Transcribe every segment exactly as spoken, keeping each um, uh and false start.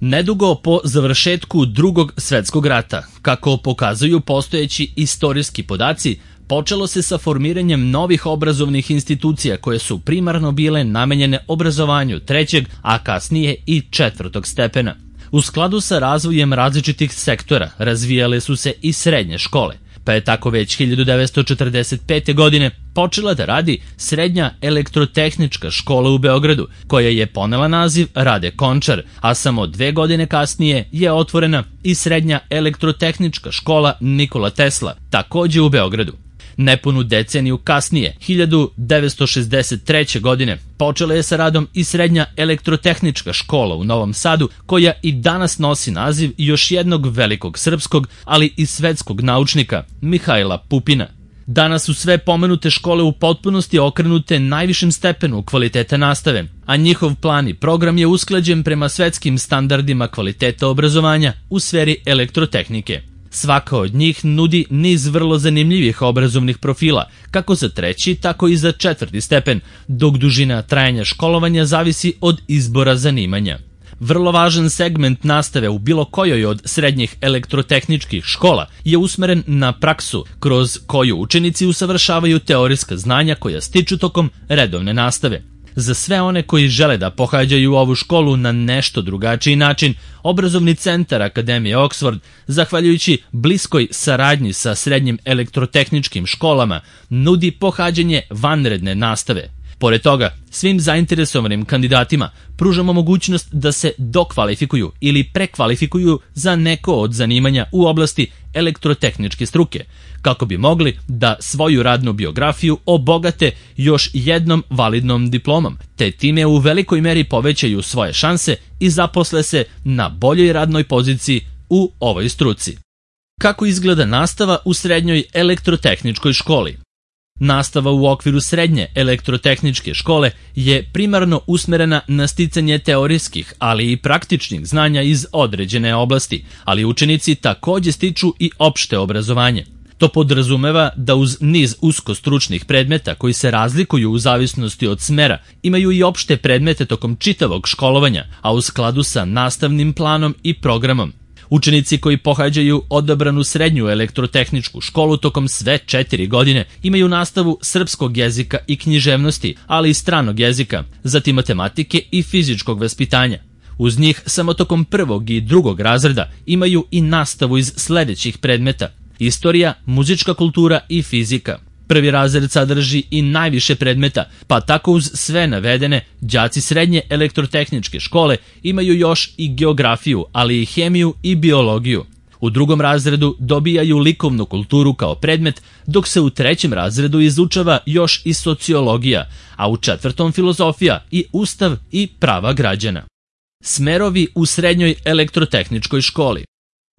Nedugo po završetku Drugog svetskog rata, kako pokazuju postojeći istorijski podaci, počelo se sa formiranjem novih obrazovnih institucija koje su primarno bile namenjene obrazovanju trećeg, a kasnije i četvrtog stepena. U skladu sa razvojem različitih sektora razvijale su se i srednje škole, pa je tako već hiljadu devetsto četrdeset pete. godine počela da radi Srednja elektrotehnička škola u Beogradu, koja je ponela naziv Rade Končar, a samo dve godine kasnije je otvorena i Srednja elektrotehnička škola Nikola Tesla, takođe u Beogradu. Nepunu deceniju kasnije, hiljadu devetsto šezdeset treće. godine, počela je sa radom i Srednja elektrotehnička škola u Novom Sadu, koja i danas nosi naziv još jednog velikog srpskog, ali i svetskog naučnika, Mihajla Pupina. Danas su sve pomenute škole u potpunosti okrenute najvišem stepenu kvaliteta nastave, a njihov plan i program je usklađen prema svetskim standardima kvaliteta obrazovanja u sferi elektrotehnike. Svaka od njih nudi niz vrlo zanimljivih obrazovnih profila, kako za treći, tako i za četvrti stepen, dok dužina trajanja školovanja zavisi od izbora zanimanja. Vrlo važan segment nastave u bilo kojoj od srednjih elektrotehničkih škola je usmeren na praksu, kroz koju učenici usavršavaju teorijska znanja koja stiču tokom redovne nastave. Za sve one koji žele da pohađaju ovu školu na nešto drugačiji način, Obrazovni centar Akademije Oxford, zahvaljujući bliskoj saradnji sa srednjim elektrotehničkim školama, nudi pohađanje vanredne nastave. Pored toga, svim zainteresovanim kandidatima pružamo mogućnost da se dokvalifikuju ili prekvalifikuju za neko od zanimanja u oblasti elektrotehničke struke, kako bi mogli da svoju radnu biografiju obogate još jednom validnom diplomom, te time u velikoj meri povećaju svoje šanse i zaposle se na boljoj radnoj poziciji u ovoj struci. Kako izgleda nastava u srednjoj elektrotehničkoj školi? Nastava u okviru srednje elektrotehničke škole je primarno usmerena na sticanje teorijskih, ali i praktičnih znanja iz određene oblasti, ali učenici takođe stiču i opšte obrazovanje. To podrazumeva da uz niz uskostručnih predmeta koji se razlikuju u zavisnosti od smera, imaju i opšte predmete tokom čitavog školovanja, a u skladu sa nastavnim planom i programom. Učenici koji pohađaju odabranu srednju elektrotehničku školu tokom sve četiri godine imaju nastavu srpskog jezika i književnosti, ali i stranog jezika, zatim matematike i fizičkog vaspitanja. Uz njih samo tokom prvog i drugog razreda imaju i nastavu iz sledećih predmeta: istorija, muzička kultura i fizika. Prvi razred sadrži i najviše predmeta, pa tako uz sve navedene, đaci srednje elektrotehničke škole imaju još i geografiju, ali i hemiju i biologiju. U drugom razredu dobijaju likovnu kulturu kao predmet, dok se u trećem razredu izučava još i sociologija, a u četvrtom filozofija i ustav i prava građana. Smerovi u srednjoj elektrotehničkoj školi.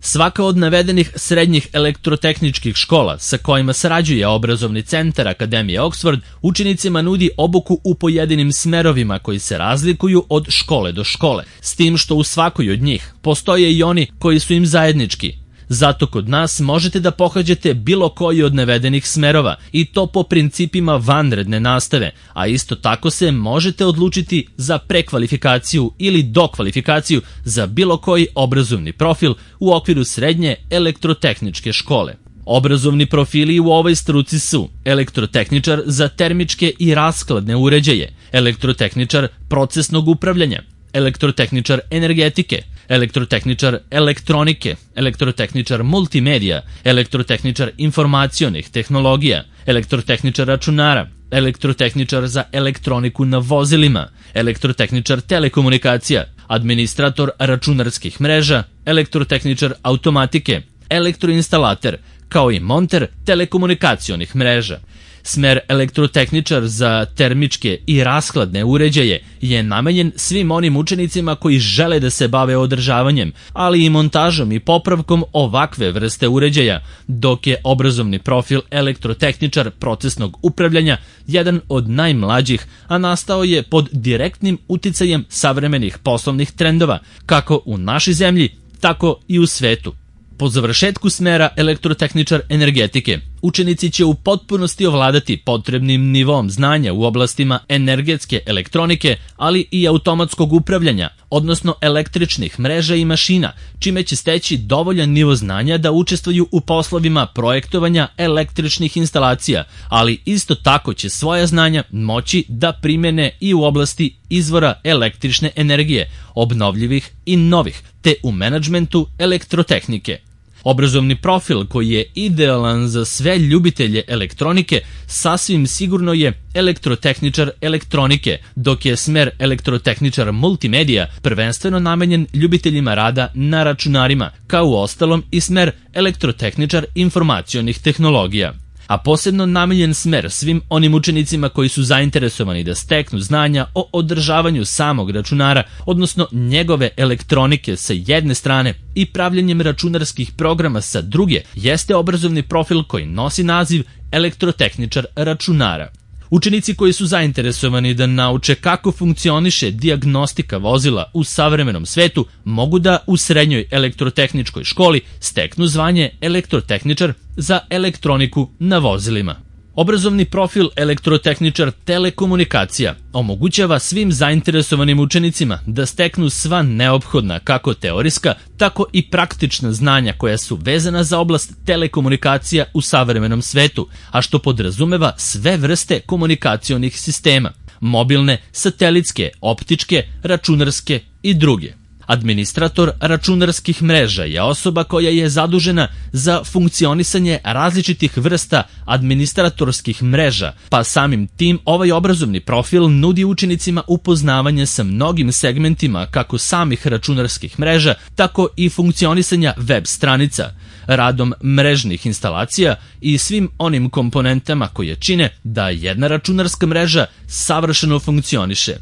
Svaka od navedenih srednjih elektrotehničkih škola sa kojima sarađuje Obrazovni centar Akademije Oxford učenicima nudi obuku u pojedinim smerovima koji se razlikuju od škole do škole, s tim što u svakoj od njih postoje i oni koji su im zajednički. Zato kod nas možete da pohađate bilo koji od navedenih smerova i to po principima vanredne nastave, a isto tako se možete odlučiti za prekvalifikaciju ili dokvalifikaciju za bilo koji obrazovni profil u okviru srednje elektrotehničke škole. Obrazovni profili u ovoj struci su elektrotehničar za termičke i raskladne uređaje, elektrotehničar procesnog upravljanja, elektrotehničar energetike, elektrotehničar elektronike, elektrotehničar multimedija, elektrotehničar informacionih tehnologija, elektrotehničar računara, elektrotehničar za elektroniku na vozilima, elektrotehničar telekomunikacija, administrator računarskih mreža, elektrotehničar automatike, elektroinstalater, kao i monter telekomunikacionih mreža. Smer elektrotehničar za termičke i raskladne uređaje je namenjen svim onim učenicima koji žele da se bave održavanjem, ali i montažom i popravkom ovakve vrste uređaja, dok je obrazovni profil elektrotehničar procesnog upravljanja jedan od najmlađih, a nastao je pod direktnim uticajem savremenih poslovnih trendova, kako u našoj zemlji, tako i u svetu. Po završetku smera elektrotehničar energetike, učenici će u potpunosti ovladati potrebnim nivom znanja u oblastima energetske elektronike, ali i automatskog upravljanja, odnosno električnih mreža i mašina, čime će steći dovoljan nivo znanja da učestvuju u poslovima projektovanja električnih instalacija, ali isto tako će svoja znanja moći da primene i u oblasti izvora električne energije, obnovljivih i novih, te u menadžmentu elektrotehnike. Obrazovni profil koji je idealan za sve ljubitelje elektronike sasvim sigurno je elektrotehničar elektronike, dok je smer elektrotehničar multimedija prvenstveno namenjen ljubiteljima rada na računarima, kao u ostalom i smer elektrotehničar informacionih tehnologija. A posebno namenjen smer svim onim učenicima koji su zainteresovani da steknu znanja o održavanju samog računara, odnosno njegove elektronike sa jedne strane i pravljenjem računarskih programa sa druge, jeste obrazovni profil koji nosi naziv elektrotehničar računara. Učenici koji su zainteresovani da nauče kako funkcioniše dijagnostika vozila u savremenom svetu mogu da u srednjoj elektrotehničkoj školi steknu zvanje elektrotehničar za elektroniku na vozilima. Obrazovni profil elektrotehničar telekomunikacija omogućava svim zainteresovanim učenicima da steknu sva neophodna kako teorijska, tako i praktična znanja koja su vezana za oblast telekomunikacija u savremenom svetu, a što podrazumeva sve vrste komunikacionih sistema, mobilne, satelitske, optičke, računarske i druge. Administrator računarskih mreža je osoba koja je zadužena za funkcionisanje različitih vrsta administratorskih mreža, pa samim tim ovaj obrazovni profil nudi učenicima upoznavanje sa mnogim segmentima kako samih računarskih mreža, tako i funkcionisanja web stranica, radom mrežnih instalacija i svim onim komponentama koje čine da jedna računarska mreža savršeno funkcioniše.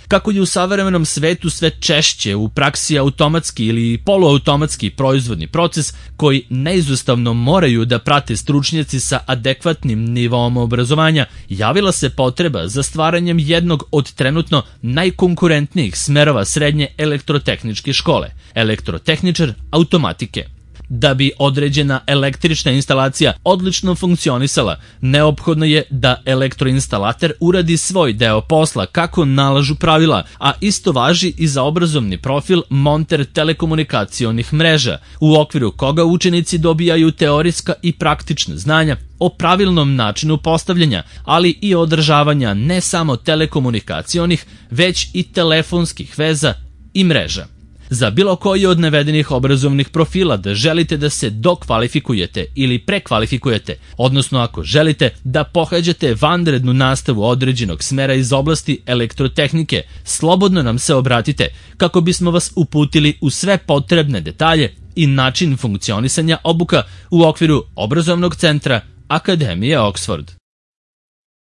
Kako je u savremenom svetu sve češće u praksi automatski ili poluautomatski proizvodni proces koji neizostavno moraju da prate stručnjaci sa adekvatnim nivom obrazovanja, javila se potreba za stvaranjem jednog od trenutno najkonkurentnijih smerova srednje elektrotehničke škole, elektrotehničar automatike. Da bi određena električna instalacija odlično funkcionisala, neophodno je da elektroinstalater uradi svoj deo posla kako nalažu pravila, a isto važi i za obrazovni profil monter telekomunikacionih mreža, u okviru koga učenici dobijaju teorijska i praktična znanja o pravilnom načinu postavljanja, ali i održavanja ne samo telekomunikacionih, već i telefonskih veza i mreža. Za bilo koji od navedenih obrazovnih profila da želite da se dokvalifikujete ili prekvalifikujete, odnosno ako želite da pohađate vanrednu nastavu određenog smera iz oblasti elektrotehnike, slobodno nam se obratite kako bismo vas uputili u sve potrebne detalje i način funkcionisanja obuka u okviru obrazovnog centra Akademije Oxford.